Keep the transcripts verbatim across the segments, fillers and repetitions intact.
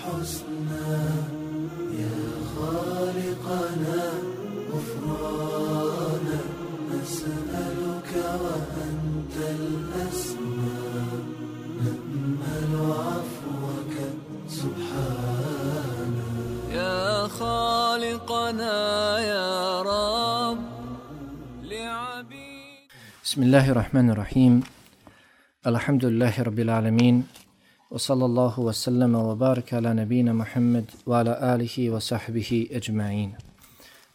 الحسنى يا خالقنا غفرانا نسألك وأنت الأسمى نأمل عفوك سبحانا يا خالقنا يا رب لعبيد. بسم الله الرحمن الرحيم. الحمد لله رب العالمين وصلى الله وسلم وبارك على نبينا محمد وعلى آله وصحبه أجمعين.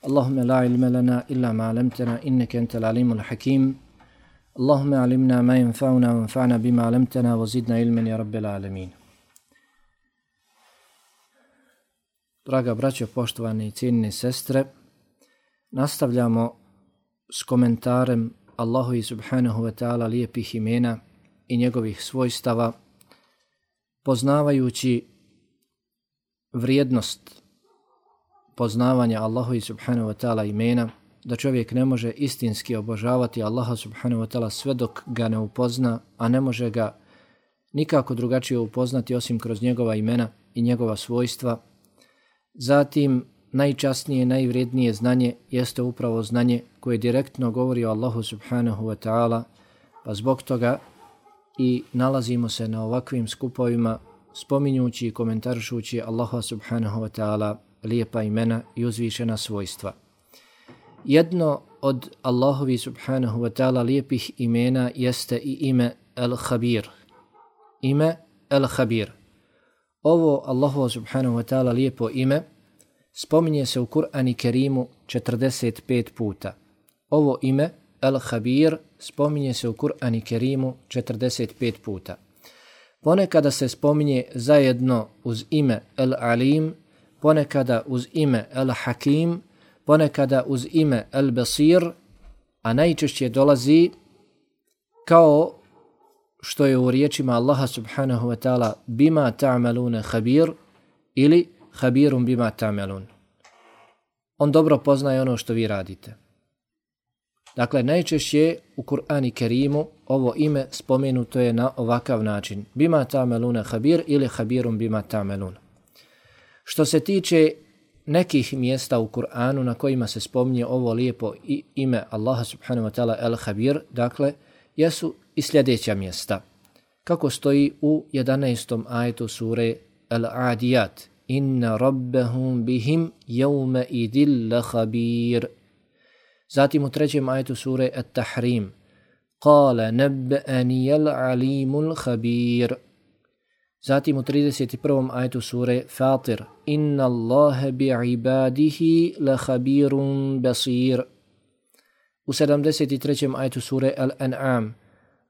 اللهم لا علم لنا إلا ما علمتنا إنك أنت العليم الحكيم. اللهم علمنا ما ينفعنا وانفعنا بما علمتنا وزدنا علما يا رب العالمين. Draga braćo, poštovane i cijenine sestre, nastavljamo s komentarem Allahovi subhanahu wa ta'ala lijepih imena i njegovih svojstava, poznavajući vrijednost poznavanja Allahovi subhanahu wa ta'ala imena, da čovjek ne može istinski obožavati Allaha subhanahu wa ta'ala sve dok ga ne upozna, a ne može ga nikako drugačije upoznati osim kroz njegova imena i njegova svojstva. Zatim, najčasnije, najvrijednije znanje jeste upravo znanje koje direktno govori o Allahu subhanahu wa ta'ala, pa zbog toga i nalazimo se na ovakvim skupovima spominjući i komentarišući Allaha subhanahu wa ta'ala lijepa imena i uzvišena svojstva. Jedno od Allahovi subhanahu wa ta'ala lijepih imena jeste i ime El-Habir. Ime El-Habir. Ovo Allahu subhanahu wa ta'ala lijepo ime spominje se u Kur'anu Kerimu četrdeset pet puta. Ovo ime El-Habir spominje se u Kur'anu Kerimu četrdeset pet puta. Ponekada se spominje zajedno uz ime El-Alim, ponekada uz ime El-Hakim, ponekada uz ime El-Basir, a najčešće dolazi kao što je u riječima Allaha subhanahu wa ta'ala bima ta'maluna khabir ili khabirum bima ta'malun. On dobro poznaje ono što vi radite. Dakle, najčešće u Kur'anu Kerimu ovo ime spomenuto je na ovakav način. Bima ta'maluna khabir ili khabirum bima ta'malun. Što se tiče nekih mjesta u Kur'anu na kojima se spominje ovo lijepo ime Allaha subhanahu wa ta'ala El-Habir, dakle, jesu i sljedeća mjesta. Kako stoji u jedanaestom ajetu sure Al-Adiyat. Inna rabbahum bihim jevme idil lakhabir. Zatim u trećem ajetu sure At-Tahrim. Kale nebbe'anijel alimul khabir. Zatim u trideset prvom ajetu sure Fatir. Inna Allahe bi'ibadihi lakhabirun basir. U sedamdeset trećem ajetu sure Al-An'am.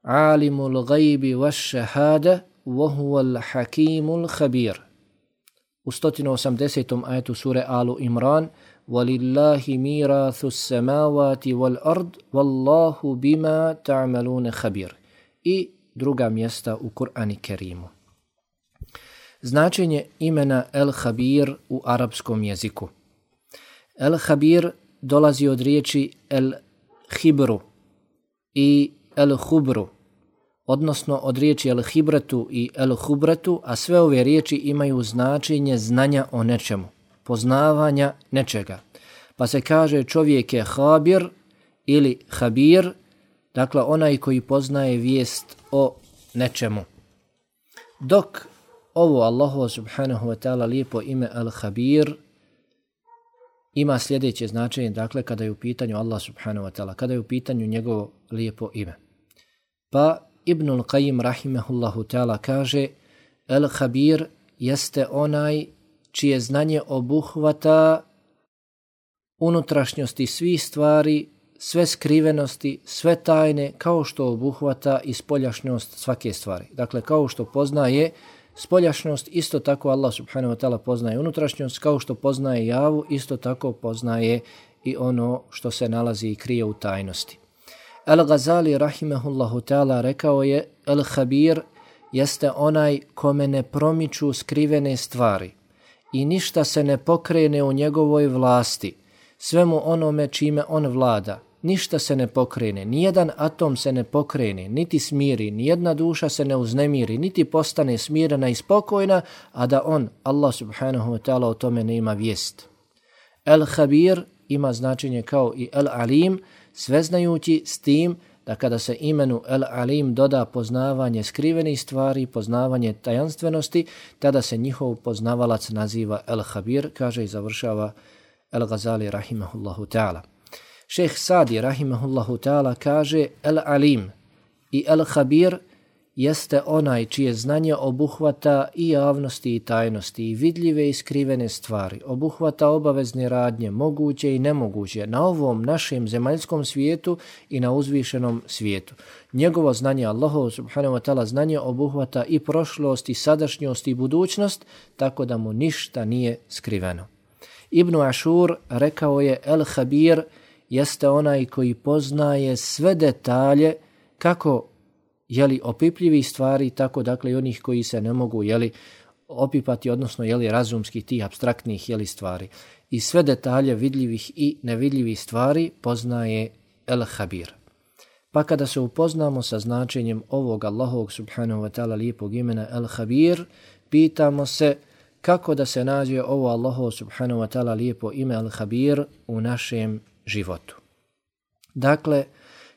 Alimul gajbi vaš šahada vohuval hakimul khabir. U sto osamdesetom ajetu sure Alu Imran. Walillahi mirathu samawati wal ard wallahu bima ta'maluna khabir. I druga mjesta u Kur'anu Kerimu. Značenje imena El-Habir u arapskom jeziku. El-Habir dolazi od riječi El-Hibru i El-Hubru, odnosno od riječi El-Hibratu i El-Hubratu, a sve ove riječi imaju značenje znanja o nečemu, poznavanja nečega. Pa se kaže čovjek je Habir ili Habir, dakle onaj koji poznaje vijest o nečemu. Dok ovo Allahu subhanahu wa ta'ala lijepo ime Al-Habir ima sljedeće značenje, dakle kada je u pitanju Allah subhanahu wa ta'ala, kada je u pitanju njegovo lijepo ime. Pa Ibnul Qayyim rahimehullahu ta'ala kaže El-Habir jeste onaj čije znanje obuhvata unutrašnjosti svih stvari, sve skrivenosti, sve tajne, kao što obuhvata i spoljašnjost svake stvari. Dakle, kao što poznaje spoljašnjost, isto tako Allah subhanahu wa ta'ala poznaje unutrašnjost, kao što poznaje javu, isto tako poznaje i ono što se nalazi i krije u tajnosti. Al-Ghazali rahimehullahu ta'ala rekao je El-Habir jeste onaj kome ne promiču skrivene stvari i ništa se ne pokrene u njegovoj vlasti, svemu onome čime on vlada, ništa se ne pokrene, nijedan atom se ne pokrene, niti smiri, nijedna duša se ne uznemiri, niti postane smirena i spokojna, a da on, Allah subhanahu wa ta'ala, o tome ne ima vijest. El-Habir ima značenje kao i El-Alim, sveznajući s tim da kada se imenu El-Alim doda poznavanje skrivenih stvari, poznavanje tajanstvenosti, tada se njihov poznavalac naziva El-Habir, kaže i završava El-Ghazali rahimahullahu ta'ala. Šejh Sadi rahimahullahu ta'ala kaže El-Alim i El-Habir jeste onaj čije znanje obuhvata i javnosti i tajnosti, i vidljive i skrivene stvari, obuhvata obavezne radnje, moguće i nemoguće, na ovom našem zemaljskom svijetu i na uzvišenom svijetu. Njegovo znanje, Allahovo subhanahu wa ta'ala znanje, obuhvata i prošlost, i sadašnjost, i budućnost, tako da mu ništa nije skriveno. Ibn Ašur rekao je El-Habir jeste onaj koji poznaje sve detalje, kako jeli opipljivi stvari, tako dakle i onih koji se ne mogu jeli opipati, odnosno jeli razumski tih abstraktnih jeli stvari. I sve detalje vidljivih i nevidljivih stvari poznaje El-Habir. Pa kada se upoznamo sa značenjem ovog Allahovog subhanahu wa ta'ala lijepog imena El-Habir, pitamo se kako da se nađe ovo Allahov subhanahu wa ta'ala lijepo ime El-Habir u našem životu. Dakle,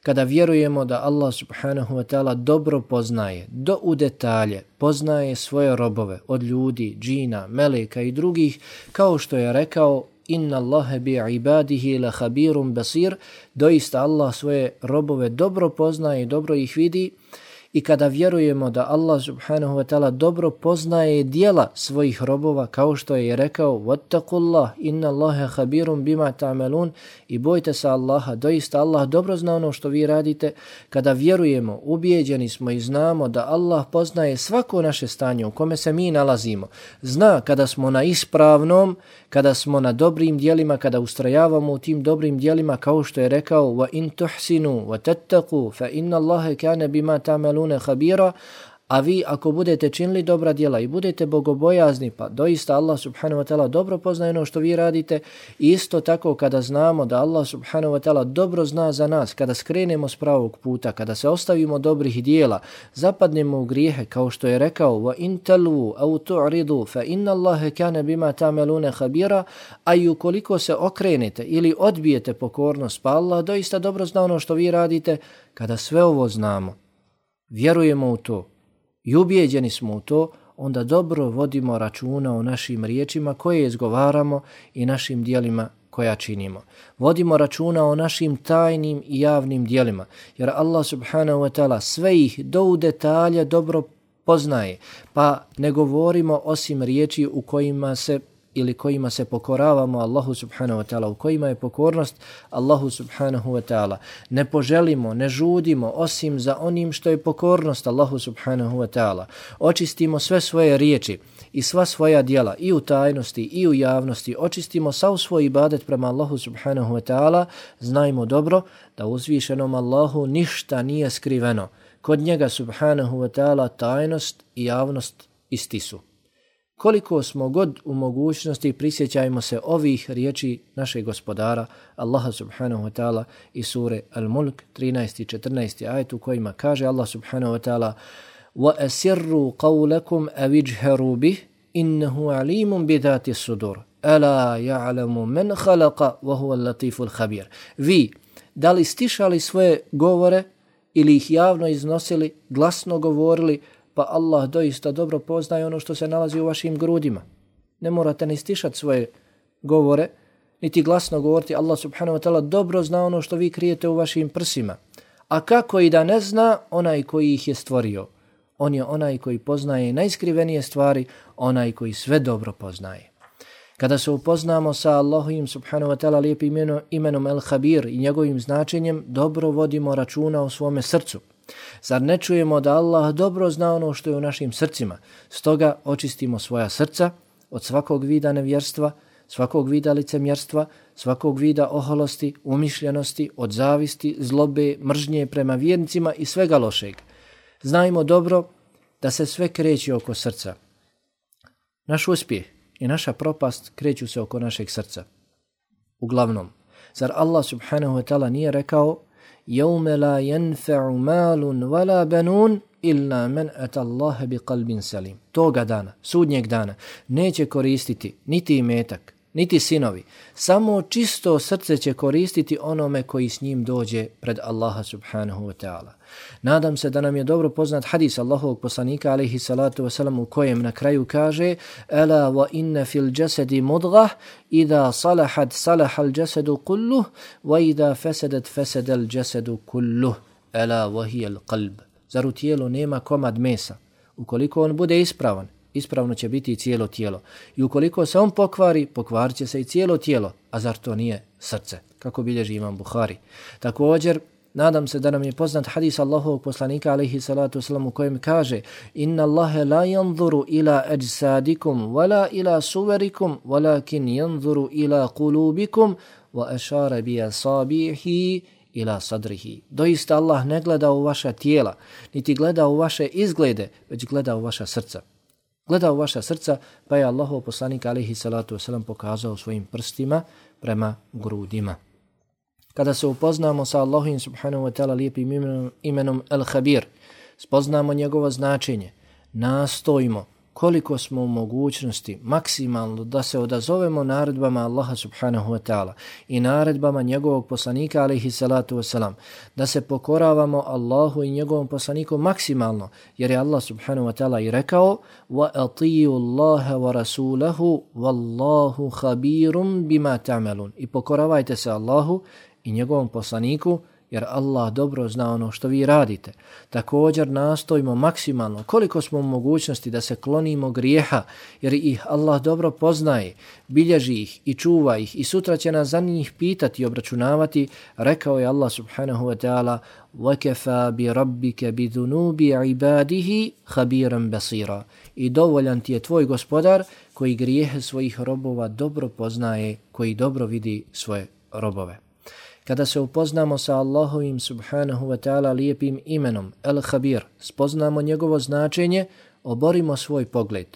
kada vjerujemo da Allah subhanahu wa ta'ala dobro poznaje, do u detalje, poznaje svoje robove od ljudi, džina, meleka i drugih, kao što je rekao inna Allahe bi ibadihi la khabirum basir, doista Allah svoje robove dobro poznaje i dobro ih vidi. I kada vjerujemo da Allah subhanahu wa ta'ala dobro poznaje dijela svojih robova, kao što je rekao wattaqullah inna Allaha khabirum bima ta'malun, i bojte se Allaha, doista Allah dobro zna ono što vi radite. Kada vjerujemo, ubijeđeni smo i znamo da Allah poznaje svako naše stanje u kome se mi nalazimo. Zna kada smo na ispravnom, kada smo na dobrim dijelima, kada ustrajavamo u tim dobrim dijelima, kao što je rekao wa in tuhsinu wa tattaqu fa inna Allaha kana bima ta'malun khabira, a vi ako budete činili dobra djela i budete bogobojazni, pa doista Allah subhanahu wa ta'ala dobro poznaje ono što vi radite. I isto tako kada znamo da Allah subhanahu wa ta'ala dobro zna za nas, kada skrenemo s pravog puta, kada se ostavimo dobrih djela, zapadnemo u grijehe, kao što je rekao wa in talwu aw tu'ridu fa inna Allaha kana bima ta'maluna khabira, a i ukoliko se okrenete ili odbijete pokornost, pa Allah doista dobro zna ono što vi radite. Kada sve ovo znamo, vjerujemo u to i ubijeđeni smo u to, onda dobro vodimo računa o našim riječima koje izgovaramo i našim dijelima koja činimo. Vodimo računa o našim tajnim i javnim dijelima, jer Allah subhanahu wa ta'ala sve ih do u detalje dobro poznaje, pa ne govorimo osim riječi u kojima se ili kojima se pokoravamo Allahu subhanahu wa ta'ala, u kojima je pokornost Allahu subhanahu wa ta'ala. Ne poželimo, ne žudimo osim za onim što je pokornost Allahu subhanahu wa ta'ala. Očistimo sve svoje riječi i sva svoja djela i u tajnosti i u javnosti. Očistimo sav svoj ibadet prema Allahu subhanahu wa ta'ala. Znajmo dobro da uzvišenom Allahu ništa nije skriveno. Kod njega subhanahu wa ta'ala tajnost i javnost isti su. Koliko smo god u mogućnosti, prisjećajmo se ovih riječi našeg gospodara Allaha subhanahu wa ta'ala i sure Al-Mulk trinaesti i četrnaesti ajet u kojima kaže Allah subhanahu wa ta'ala وَأَسِرُّوا قَوْلَكُمْ أَوِجْهَرُوا بِهِ إِنَّهُ عَلِيمٌ بِذَاتِ الصُّدُورِ أَلَا يَعْلَمُ مَنْ خَلَقَ وَهُوَ اللَّطِيفُ الْخَبِيرُ. Vi, da li stišali svoje govore ili ih javno iznosili, glasno govorili, pa Allah doista dobro poznaje ono što se nalazi u vašim grudima. Ne morate ni stišati svoje govore, niti glasno govoriti. Allah subhanahu wa ta'ala dobro zna ono što vi krijete u vašim prsima. A kako i da ne zna onaj koji ih je stvorio? On je onaj koji poznaje najskrivenije stvari, onaj koji sve dobro poznaje. Kada se upoznamo sa Allahovim subhanahu wa ta'ala lijepim imenom, imenom El-Habir i njegovim značenjem, dobro vodimo računa o svome srcu. Zar ne čujemo da Allah dobro zna ono što je u našim srcima? Stoga očistimo svoja srca od svakog vida nevjerstva, svakog vida licemjerstva, svakog vida oholosti, umišljenosti, od zavisti, zlobe, mržnje prema vjernicima i svega lošeg. Znajmo dobro da se sve kreće oko srca. Naš uspjeh i naša propast kreću se oko našeg srca. Uglavnom, Zar Allah subhanahu wa ta'ala nije rekao يَوْمَ لَا يَنْفَعُ مَالٌ وَلَا بَنُونَ إِلَّا مَنْ أَتَى اللَّهَ بِقَلْبٍ سَلِيمٍ. Toga dana, sudnjeg dana, neće koristiti niti imetak, niti sinovi. Samo čisto srce će koristiti onome koji s njim dođe pred Allaha subhanahu wa ta'ala. Nadam se da nam je dobro poznat hadis Allahovog poslanika alejhi salatu wasalam u kojem na kraju kaže Ela wa inna fil jasadi mudghah idha salahat salaha al jasadu kulluh wa idha fasadat fasada al jasadu kulluh ela wa hiya al qalb. Zar u tijelu nema komad mesa? Ukoliko on bude ispravan, ispravno će biti i cijelo tijelo. I ukoliko se on pokvari, pokvarit će se i cijelo tijelo. A zar to nije srce? Kako bilježi imam Buhari. Također, nadam se da nam je poznat hadis Allahovog poslanika alejhi salatu wasalam u kojem kaže Inna Allahe la yanzuru ila ajsadikum wala ila suverikum walakin yanzuru ila kulubikum wa ashara bi asabihi ila sadrihi. Doista Allah ne gleda u vaša tijela, niti gleda u vaše izglede, već gleda u vaša srca. Gleda u vaša srca, pa je Allahov poslanik alejhi salatu wasalam pokazao svojim prstima prema grudima. Kada se upoznamo sa Allahovim subhanahu wa ta'ala lijepim imenom, imenom Al-Habir, spoznamo njegovo značenje, nastojimo koliko smo u mogućnosti maksimalno da se odazovemo naredbama Allaha subhanahu wa ta'ala i naredbama njegovog poslanika alejhi salatu wasalam, da se pokoravamo Allahu i njegovom poslaniku maksimalno, jer je Allah subhanahu wa ta'ala i rekao wa atiyu Allaha wa rasulahu wallahu khabirum bima ta'malun. I pokoravajte se Allahu i njegovom poslaniku, jer Allah dobro zna ono što vi radite. Također nastojimo maksimalno koliko smo u mogućnosti da se klonimo grijeha, jer ih Allah dobro poznaje, bilježi ih i čuva ih i sutra će nas za njih pitati i obračunavati. Rekao je Allah subhanahu wa ta'ala وَكَفَا بِرَبِّكَ بِذُنُوبِ عِبَادِهِ خَبِيرًا بَصِيرًا. I dovoljan ti je tvoj gospodar koji grijehe svojih robova dobro poznaje, koji dobro vidi svoje robove. Kada se upoznamo sa Allahovim subhanahu wa ta'ala lijepim imenom El-Habir, spoznamo njegovo značenje, oborimo svoj pogled.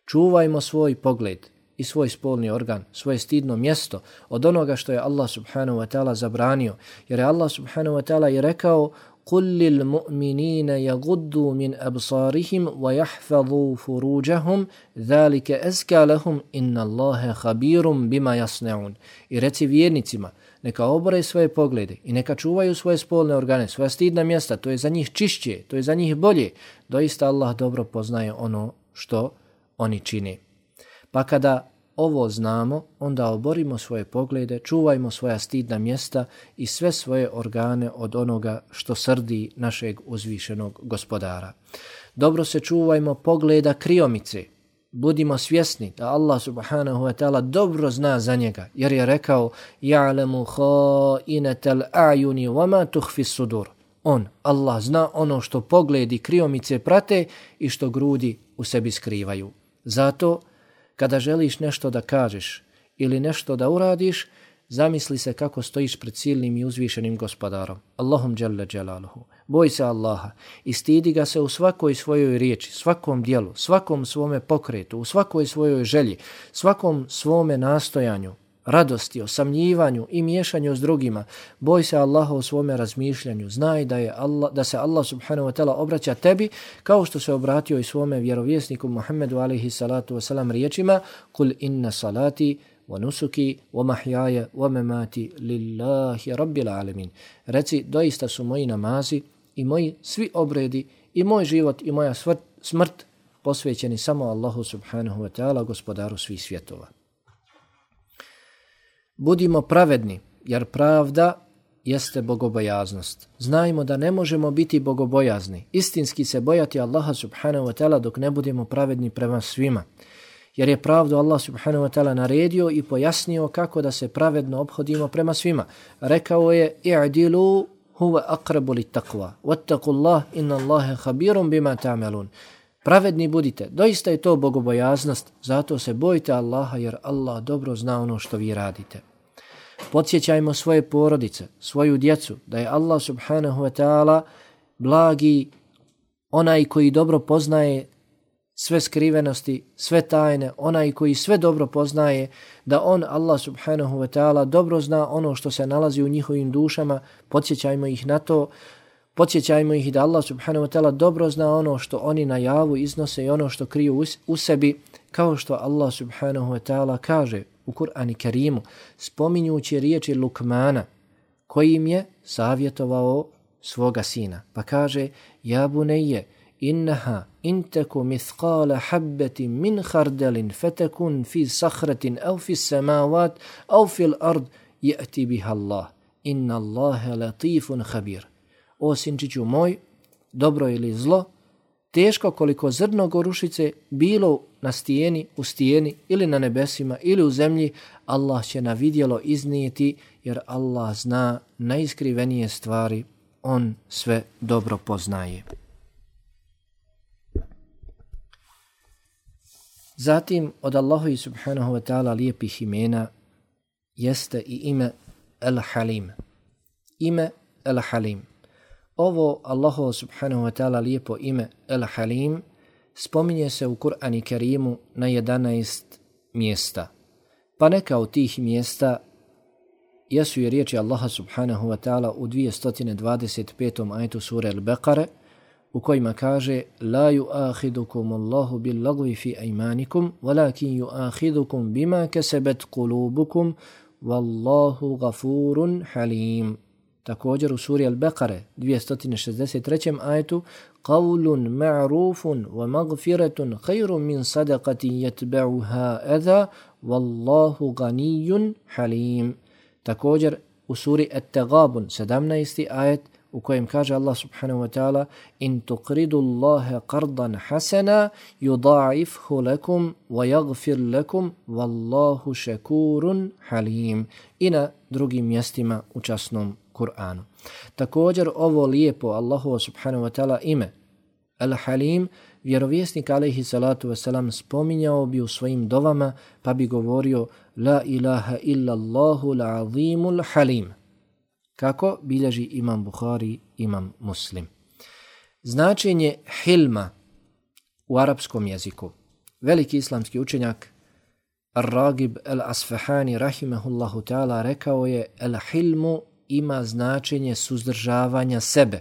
Čuvajmo svoj pogled i svoj spolni organ, svoje stidno mjesto od onoga što je Allah subhanahu wa ta'ala zabranio. Jer je Allah subhanahu wa ta'ala i rekao قُلْ لِلْمُؤْمِنِينَ يَغُدُّوا مِنْ أَبْصَارِهِمْ وَيَحْفَظُوا فُرُوجَهُمْ ذَلِكَ أَزْكَى لَهُمْ إِنَّ اللَّهَ خَبِيرٌ بِمَا يَصْنَعُونَ. I reci vjernicima, neka obore svoje poglede i neka čuvaju svoje spolne organe, svoja stidna mjesta, to je za njih čišće, to je za njih bolje. Doista Allah dobro poznaje ono što oni čine. Pa kada ovo znamo, onda oborimo svoje poglede, čuvajmo svoja stidna mjesta i sve svoje organe od onoga što srdi našeg uzvišenog gospodara. Dobro se čuvajmo pogleda kriomice. Budimo svjesni da Allah subhanahu wa ta'ala dobro zna za njega, jer je rekao يَعْلَمُ خَائِنَةَ الْأَعْيُنِ وَمَا تُخْفِ الصُّدُورِ. On, Allah, zna ono što pogledi kriomice prate i što grudi u sebi skrivaju. Zato, kada želiš nešto da kažeš ili nešto da uradiš, zamisli se kako stojiš pred silnim i uzvišenim gospodarom, Allahom dželle dželaluhu. Boj se Allaha i stidi ga se u svakoj svojoj riječi, svakom dijelu, svakom svome pokretu, u svakoj svojoj želji, svakom svome nastojanju, radosti, osamljivanju i miješanju s drugima. Boj se Allaha u svome razmišljanju. Znaj da, je Allah, da se Allah subhanahu wa ta'ala obraća tebi kao što se obratio i svome vjerovjesniku Muhammedu alejhi salatu wasalam riječima Kul inna salati wa nusuki wa mahjaya wa mamati lillahi rabbil alamin. Reci, doista su moji namazi i moji svi obredi i moj život i moja smrt posvećeni samo Allahu subhanahu wa ta'ala, gospodaru svih svjetova. Budimo pravedni, jer pravda jeste bogobojaznost. Znajmo da ne možemo biti bogobojazni, istinski se bojati Allaha subhanahu wa ta'ala dok ne budemo pravedni prema svima. Jer je pravdu Allah subhanahu wa ta'ala naredio i pojasnio kako da se pravedno ophodimo prema svima. Rekao je i'dilu huwa aqrabu lit-taqwa wattaqullah inna Allaha khabirun bima ta'malun. Pravedni budite, doista je to bogobojaznost, zato se bojte Allaha jer Allah dobro zna ono što vi radite. Podsjećajmo svoje porodice, svoju djecu, da je Allah subhanahu wa ta'ala blagi, onaj koji dobro poznaje sve skrivenosti, sve tajne, onaj koji sve dobro poznaje, da on, Allah subhanahu wa ta'ala, dobro zna ono što se nalazi u njihovim dušama, podsjećajmo ih na to, podsjećajmo ih da Allah subhanahu wa ta'ala dobro zna ono što oni na javu iznose i ono što kriju u sebi, kao što Allah subhanahu wa ta'ala kaže u Kur'anu Kerimu, spominjući riječi Lukmana, koji im je savjetovao svoga sina. Pa kaže, ja bunayya, innaha in taku mithqala habbatin min khardalin fatakun fi sakhratin aw fi samawat aw fi al-ard ya'ti biha Allah. Inna Allaha latifun khabir. O sinčiću moj, dobro ili zlo, teško koliko zrno gorušice bilo na stijeni, u stijeni ili na nebesima ili u zemlji, Allah će na vidjelo iznijeti, jer Allah zna najiskrivenije stvari, on sve dobro poznaje. Zatim od Allahovi subhanahu wa ta'ala lijepih imena jeste i ime El-Halim. Ime El-Halim. Ovo Allahovo subhanahu wa ta'ala lijepo ime El-Halim spominje se u Kur'anu Kerimu na jedanaest mjesta. Pa neka od tih mjesta jesu i riječi Allaha subhanahu wa ta'ala u dvjesto dvadeset petom ajetu sure Al-Baqare, u kojima kaže la yu'akhidukum Allahu bil lagwi fi aymanikum walakin yu'akhidukum bima kasabat qulubukum wallahu ghafurun halim. Također u suri Al-Baqare dvjesto šezdeset trećem ajetu qawlun ma'rufun wa maghfiratun khayrun min sadaqatin yatba'uha adha wallahu ghaniyyun halim. Također u suri At-Taghabun sedamnaesti ajet, u kojem kaže Allah subhanahu wa ta'ala in tuqridu Allaha qardan hasana yudha'ifhu lakum wa yaghfir lakum wallahu shakurun halim. I na drugim mjestima u časnom Kur'anu. Također ovo lijepo Allahu subhanahu wa ta'ala ime Al-Halim vjerovjesnik alejhi salatu vesselam spominjao bi u svojim dovama, pa bi govorio la ilaha illa Allahu al-azimul halim. Kako bilježi imam Buhari, imam Muslim. Značenje hilma u arapskom jeziku. Veliki islamski učenjak Ar-Ragib al-Asfahani rahimahullahu ta'ala rekao je el-hilmu ima značenje suzdržavanja sebe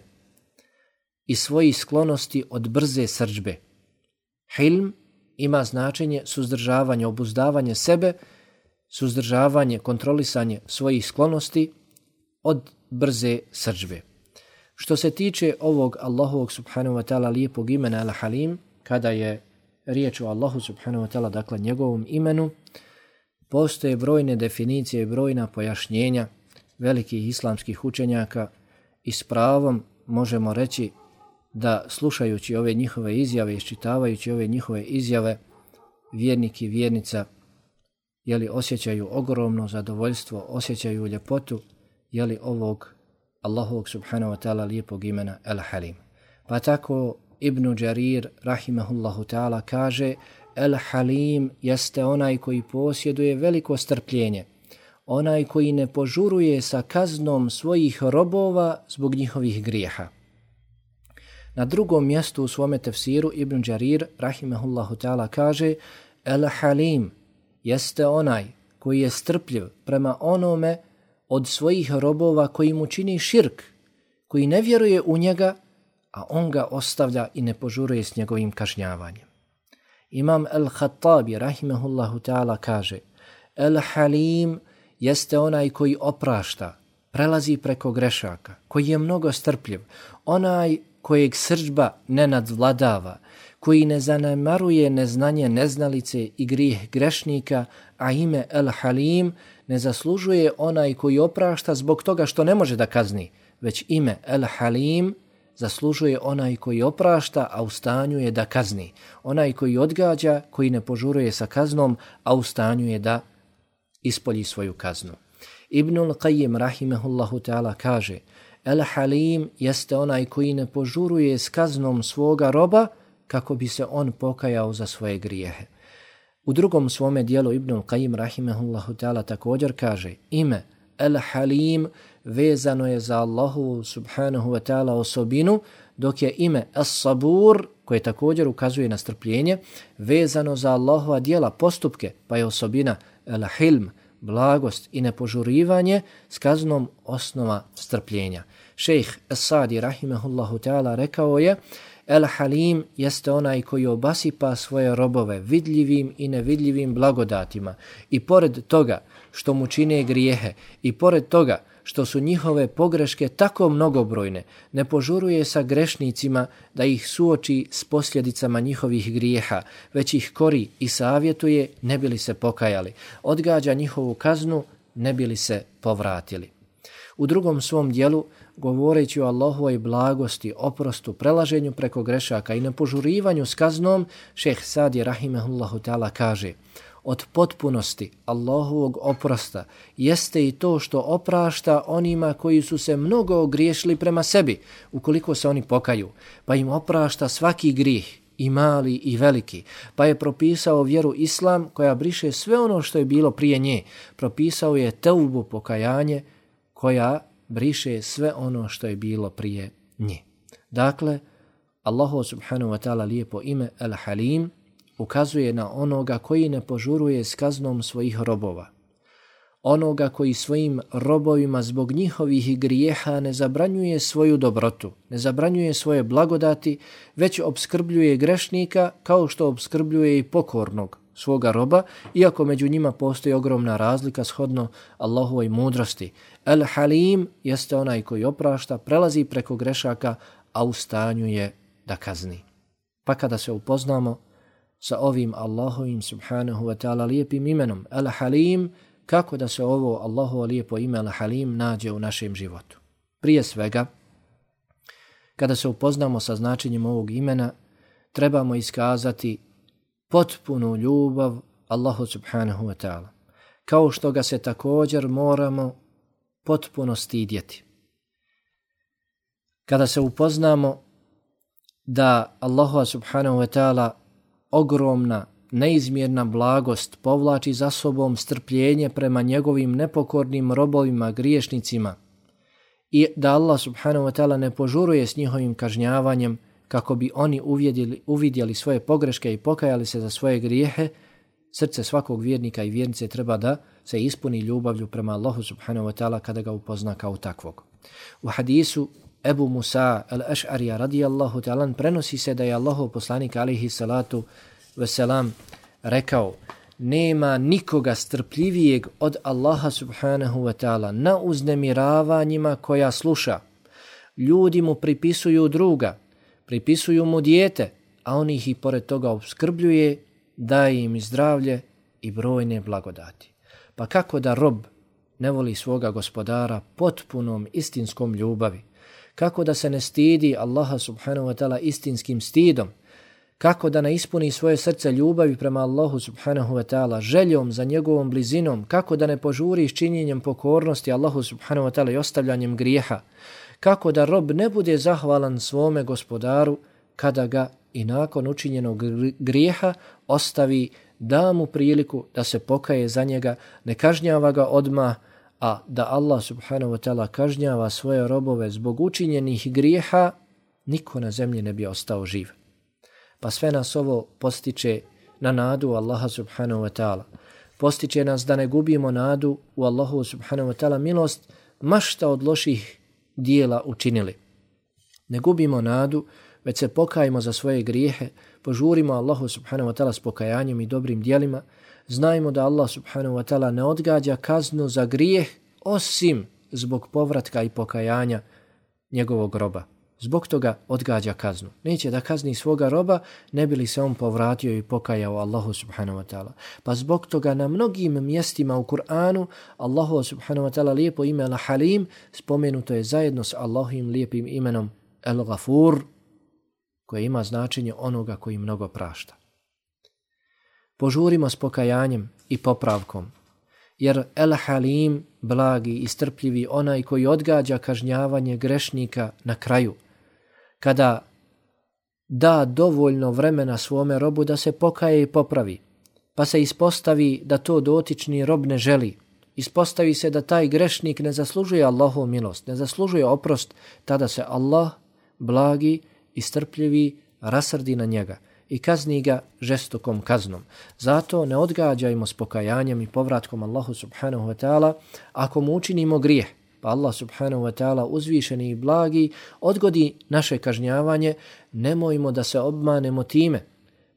i svojih sklonosti od brze srdžbe. Hilm ima značenje suzdržavanja, obuzdavanje sebe, suzdržavanje, kontrolisanje svojih sklonosti od brze srdžbe. Što se tiče ovog Allahovog subhanahu wa ta'ala lijepog imena Al-Halim, kada je riječ o Allahu subhanahu wa ta'ala, dakle njegovom imenu, postoje brojne definicije i brojna pojašnjenja velikih islamskih učenjaka i s pravom možemo reći da slušajući ove njihove izjave, iščitavajući ove njihove izjave, vjernik i vjernica jeli osjećaju ogromno zadovoljstvo, osjećaju ljepotu jeli ovog Allahovog subhanahu wa ta'ala lijepog imena El-Halim. Pa tako Ibn Đarir rahimahullahu ta'ala kaže El-Halim jeste onaj koji posjeduje veliko strpljenje, onaj koji ne požuruje sa kaznom svojih robova zbog njihovih grijeha. Na drugom mjestu u svome tefsiru Ibn Đarir rahimahullahu ta'ala kaže El-Halim jeste onaj koji je strpljiv prema onome od svojih robova koji mu čini širk, koji ne vjeruje u njega, a on ga ostavlja i ne požuruje s njegovim kažnjavanjem. Imam Al-Khattabi rahimahullahu ta'ala kaže El-Halim jeste onaj koji oprašta, prelazi preko grešaka, koji je mnogo strpljiv, onaj kojeg srdžba ne nadvladava, koji ne zanemaruje neznanje neznalice i grijeh grešnika, a ime El-Halim ne zaslužuje onaj koji oprašta zbog toga što ne može da kazni, već ime El-Halim zaslužuje onaj koji oprašta, a u stanju je da kazni, onaj koji odgađa, koji ne požuruje sa kaznom, a u stanju je da ispolji svoju kaznu. Ibnul Qayyim rahimahullahu ta'ala kaže El-Halim jeste onaj koji ne požuruje s kaznom svoga roba kako bi se on pokajao za svoje grijehe. U drugom svome dijelu Ibnul Qayyim rahimahullahu ta'ala također kaže ime El-Halim vezano je za Allahu subhanahu wa ta'ala osobinu dok je ime As-Sabur, koje također ukazuje na strpljenje, vezano za Allahova djela, postupke, pa je osobina El-Hilm, blagost i nepožurivanje s kaznom osnova strpljenja. Šejh As-Sadi rahimehullahu ta'ala rekao je: El-Halim jeste onaj koji obasipa svoje robove vidljivim i nevidljivim blagodatima i pored toga što mu čine grijehe i pored toga što su njihove pogreške tako mnogobrojne, ne požuruje sa grešnicima da ih suoči s posljedicama njihovih grijeha, već ih kori i savjetuje ne bi li se pokajali, odgađa njihovu kaznu ne bi li se povratili. U drugom svom dijelu, govoreći o Allahovoj blagosti, oprostu, prelaženju preko grešaka i nepožurivanju s kaznom, šejh Sadi rahimehullahu ta'ala kaže: od potpunosti Allahovog oprosta jeste i to što oprašta onima koji su se mnogo ogriješili prema sebi, ukoliko se oni pokaju, pa im oprašta svaki grijeh, i mali i veliki, pa je propisao vjeru Islam koja briše sve ono što je bilo prije nje, propisao je teubu, pokajanje, koja briše sve ono što je bilo prije nje. Dakle, Allahu subhanahu wa ta'ala lijepo ime El-Halim ukazuje na onoga koji ne požuruje s kaznom svojih robova. Onoga koji svojim robovima zbog njihovih grijeha ne zabranjuje svoju dobrotu, ne zabranjuje svoje blagodati, već obskrbljuje grešnika kao što obskrbljuje i pokornog svoga roba, iako među njima postoji ogromna razlika shodno Allahovoj mudrosti. El-Halim jeste onaj koji oprašta, prelazi preko grešaka, a u stanju je da kazni. Pa kada se upoznamo sa ovim Allahovim subhanahu wa ta'ala lijepim imenom El-Halim, kako da se ovo Allahovo lijepo ime El-Halim nađe u našem životu? Prije svega, kada se upoznamo sa značenjem ovog imena, trebamo iskazati potpunu ljubav Allahu subhanahu wa ta'ala, kao što ga se također moramo potpuno stidjeti. Kada se upoznamo da Allahu subhanahu wa ta'ala ogromna, neizmjerna blagost povlači za sobom strpljenje prema njegovim nepokornim robovima, griješnicima, i da Allah subhanahu wa ta'ala ne požuruje s njihovim kažnjavanjem kako bi oni uvidjeli, uvidjeli svoje pogreške i pokajali se za svoje grijehe, srce svakog vjernika i vjernice treba da se ispuni ljubavlju prema Allahu subhanahu wa ta'ala kada ga upozna kao takvog. U hadisu Ebu Musa al-Aš'arija radijallahu ta'ala prenosi se da je Allahov poslanik alejhi salatu veselam rekao: nema nikoga strpljivijeg od Allaha subhanahu wa ta'ala na uznemiravanjima koja sluša. Ljudi mu pripisuju druga, pripisuju mu dijete, a on ih i pored toga opskrbljuje, daje im zdravlje i brojne blagodati. Pa kako da rob ne voli svoga gospodara potpunom istinskom ljubavi? Kako da se ne stidi Allaha subhanahu wa ta'ala istinskim stidom? Kako da ne ispuni svoje srce ljubavi prema Allahu subhanahu wa ta'ala, željom za njegovom blizinom? Kako da ne požuri s činjenjem pokornosti Allahu subhanahu wa ta'ala i ostavljanjem grijeha? Kako da rob ne bude zahvalan svome gospodaru kada ga i nakon učinjenog grijeha ostavi, da mu priliku da se pokaje za njega, ne kažnjava ga odmah, a da Allah subhanahu wa ta'ala kažnjava svoje robove zbog učinjenih grijeha, niko na zemlji ne bi ostao živ. Pa sve nas ovo postiče na nadu Allaha subhanahu wa ta'ala. Postiče nas da ne gubimo nadu u Allahu subhanahu wa ta'ala milost, ma šta od loših dijela učinili. Ne gubimo nadu, već se pokajemo za svoje grijehe, požurimo Allahu subhanahu wa ta'ala s pokajanjem i dobrim dijelima, znajmo da Allah subhanahu wa ta'ala ne odgađa kaznu za grijeh osim zbog povratka i pokajanja njegovog roba. Zbog toga odgađa kaznu. Neće da kazni svoga roba, ne bi li se on povratio i pokajao Allahu subhanahu wa ta'ala. Pa zbog toga na mnogim mjestima u Kur'anu Allahu subhanahu wa ta'ala lijepo ime Al-Halim spomenuto je zajedno s Allahovim lijepim imenom El-Gafur, koje ima značenje onoga koji mnogo prašta. Požurimo s pokajanjem i popravkom, jer El-Halim, blagi i strpljivi, onaj koji odgađa kažnjavanje grešnika na kraju, kada da dovoljno vremena svome robu da se pokaje i popravi, pa se ispostavi da to dotični rob ne želi, ispostavi se da taj grešnik ne zaslužuje Allahovu milost, ne zaslužuje oprost, tada se Allah blagi i strpljivi rasrdi na njega i kazni ga žestokom kaznom. Zato ne odgađajmo s pokajanjem i povratkom Allahu subhanahu wa ta'ala ako mu učinimo grijeh, pa Allah subhanahu wa ta'ala uzvišeni i blagi odgodi naše kažnjavanje, nemojmo da se obmanemo time,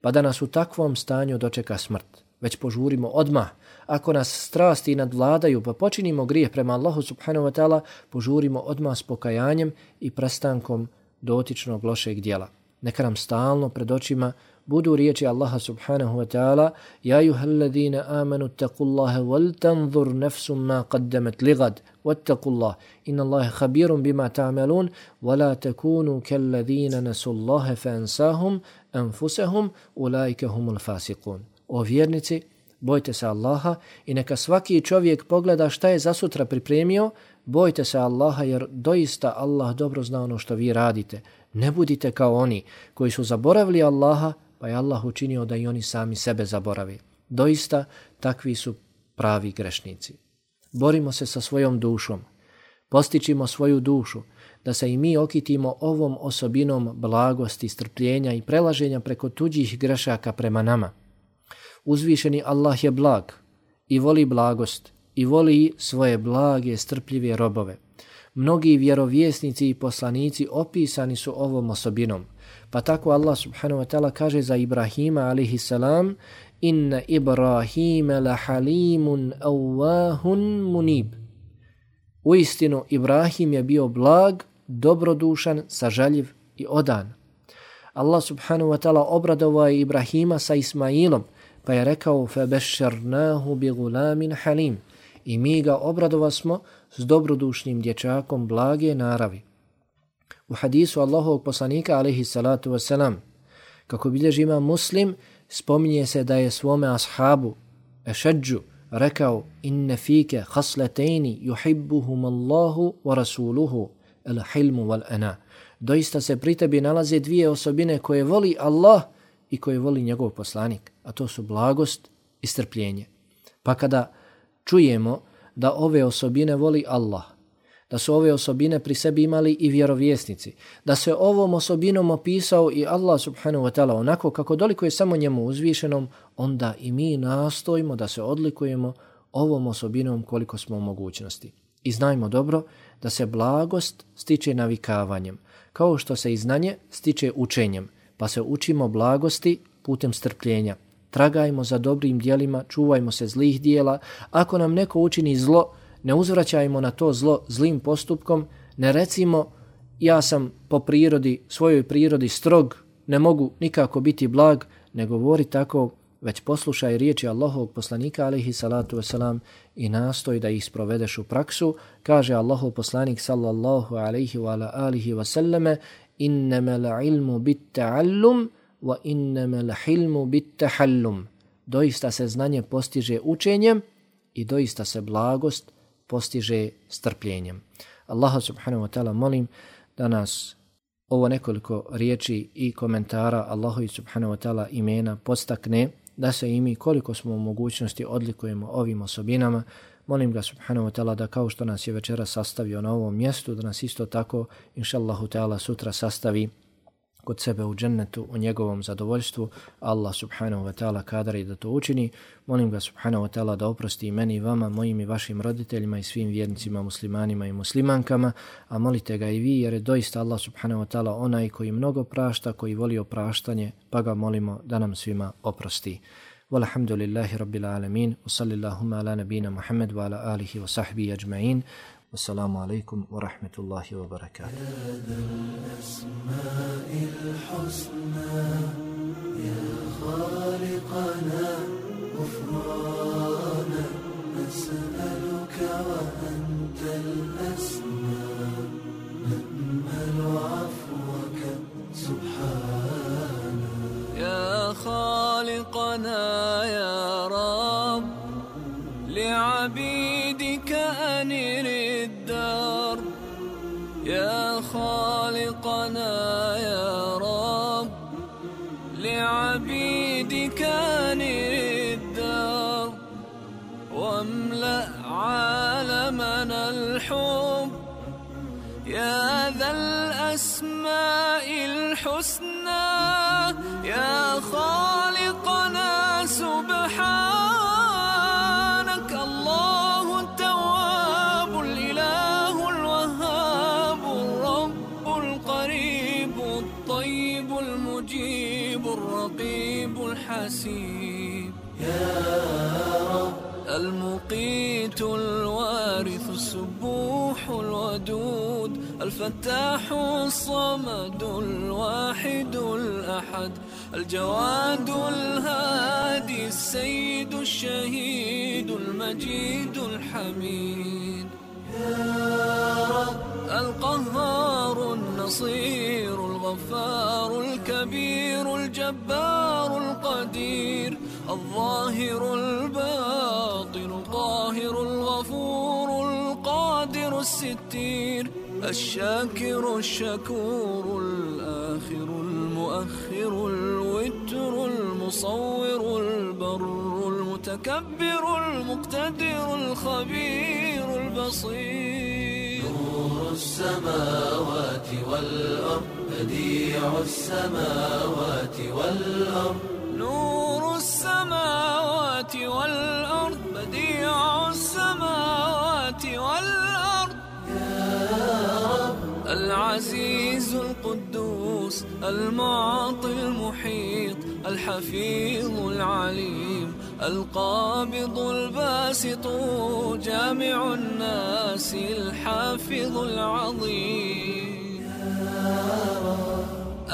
pa da nas u takvom stanju dočeka smrt, već požurimo odmah. Ako nas strasti nadvladaju pa počinimo grijeh prema Allahu subhanahu wa ta'ala, požurimo odmah s pokajanjem i prestankom dotičnog lošeg djela. Neka nam stalno pred očima budu riječi Allaha subhanahu wa ta'ala: Ja ayyuhalladhina amanu taqullaha wal tanzur nafsum ma qaddamat ligad wattaqullah innallaha khabirun bima ta'malun wa la takunu kalladhina nasullaha fansahum anfusahum ulaika humul fasiqun. O vjernici, bojte se Allaha i neka svaki čovjek pogleda šta je za sutra pripremio. Bojte se Allaha jer doista Allah dobro zna ono što vi radite. Ne budite kao oni koji su zaboravili Allaha, pa je Allah učinio da i oni sami sebe zaboravi. Doista takvi su pravi grešnici. Borimo se sa svojom dušom. Postičimo svoju dušu da se i mi okitimo ovom osobinom blagosti, strpljenja i prelaženja preko tuđih grešaka prema nama. Uzvišeni Allah je blag i voli blagost i voli svoje blage, strpljive robove. Mnogi vjerovjesnici i poslanici opisani su ovom osobinom. Pa tako Allah subhanahu wa ta'ala kaže za Ibrahima alaihi salam: Inna Ibrahima la halimun awahun munib. Uistinu Ibrahim je bio blag, dobrodušan, sažaljiv i odan. Allah subhanahu wa ta'ala obradovao je Ibrahima sa Ismailom, pa je rekao: Fabešarnahu bi gulamin halim. I mi ga obradovasmo s dobrodušnim dječakom blage naravi. U hadisu Allahovog poslanika alejhi salatu vesselam, kako bilježi Imam Muslim, spominje se da je svome ashabu Ešadžu rekao: Inne fike hasletejni yuhibbuhum Allahu wa rasuluhu el hilmu wal ana. Doista se pri tebi nalaze dvije osobine koje voli Allah i koje voli njegov poslanik, a to su blagost i strpljenje. Pa kada čujemo da ove osobine voli Allah, da su ove osobine pri sebi imali i vjerovjesnici, da se ovom osobinom opisao i Allah subhanahu wa ta'ala onako kako dolikuje samo njemu uzvišenom, onda i mi nastojimo da se odlikujemo ovom osobinom koliko smo u mogućnosti. I znajmo dobro da se blagost stiče navikavanjem, kao što se i znanje stiče učenjem, pa se učimo blagosti putem strpljenja. Tragajmo za dobrim dijelima, čuvajmo se zlih dijela. Ako nam neko učini zlo, ne uzvraćajmo na to zlo zlim postupkom, ne recimo ja sam po prirodi, svojoj prirodi strog, ne mogu nikako biti blag, ne govori tako, već poslušaj riječi Allahovog poslanika alejhi salatu vesselam i nastoj da ih sprovedeš u praksu. Kaže Allahov poslanik sallallahu alejhi wa ala alihi wa sallame: Innamal ilmu bit ta'allum wa innamal hilmu bit tahallum. Doista se znanje postiže učenjem i doista se blagost postiže strpljenjem. Allaha subhanahu wa ta'ala molim da nas ovo nekoliko riječi i komentara Allahovi subhanahu wa ta'ala imena podstakne da se i mi koliko smo u mogućnosti odlikujemo ovim osobinama. Molim ga subhanahu wa ta'ala da kao što nas je večera sastavio na ovom mjestu, da nas isto tako inšallahu ta'ala sutra sastavi kod sebe u džennetu, u njegovom zadovoljstvu. Allah subhanahu wa ta'ala kadari da to učini. Molim ga subhanahu wa ta'ala da oprosti i meni i vama, mojim i vašim roditeljima i svim vjernicima, muslimanima i muslimankama, a molite ga i vi jer je doista Allah subhanahu wa ta'ala onaj koji mnogo prašta, koji voli opraštanje, pa ga molimo da nam svima oprosti. Walhamdulillahi rabbil alamin, wa sallillahumma ala nabina Muhammad wa ala alihi wa sahbihi ajma'in. والسلام عليكم ورحمة الله وبركاته. يا ذا الأسماء الحسنى يا خالقنا غفرانا نسألك وأنت الأسمى نأمل عفوك سبحانا. يا خالقنا يا رب لعبيدك أنر الدار. يا خالقنا يا رب لعبيدك أنر الدار واملأ عالمنا الحب يا ذا الأسماء الحسنى يا خالقنا سبحانك الله التواب الإله الوهاب الرب القريب الطيب المجيب الرقيب الحسيب يا رب المقيت الوارث السبوح الودود الفتاح الصمد الواحد الأحد الجواد الهادي السيد الشهيد المجيد الحميد يا رب القهار النصير الغفار الكبير الجبار القدير الظاهر الباطن القاهر الغفور القادر الستير الشاكر الشكور الآخر المؤخر الوتر المصور البر المتكبر المقتدر الخبير البصير نور السماوات والأرض بديع السماوات والأرض نور السماوات والأرض بديع السماوات والأرض يا رب العزيز القدوس المعطي المحيط الحفيظ العليم القابض الباسط جامع الناس الحافظ العظيم يا رب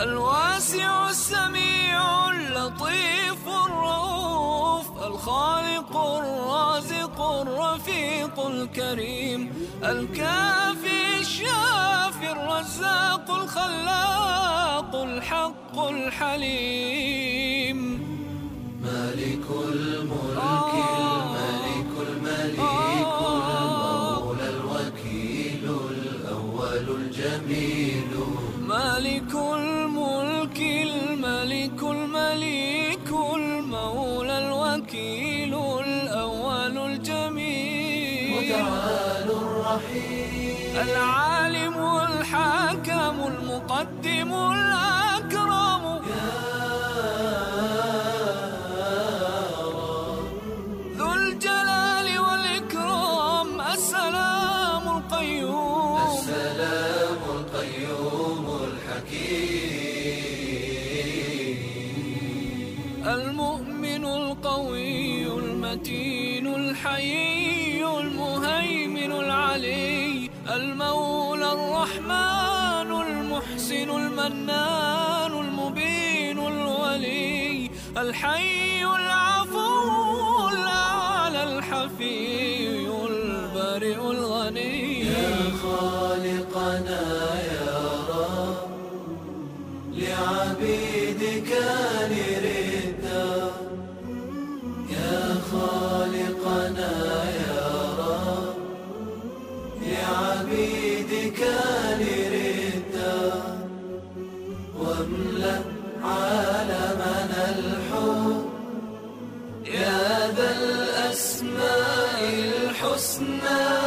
الواسع السميع اللطيف الرؤوف الخالق الرازق الرفيق الكريم الكافي الشافي الرزاق الخلاق الحق الحليم مالك الملك الملك المليك المولى الوكيل الأول الجميل مالك الملك الملك المليك المولى الوكيل الأول الجميل متعال الرحيم العالم الحاكم المقدم الأكرم يا رب ذو الجلال والإكرام السلام القيوم السلام القيوم المؤمن القوي المتين الحيي المهيمن العلي المولى الرحمن المحسن المنان المبين الولي الحي العفو الأعلى الحفي البارئ الغني يا خالقنا يا رب لعبيدك نردا يا خالقنا يا رب لعبيدك نردا واملأ عالمنا الحب يا ذا الأسماء الحسنى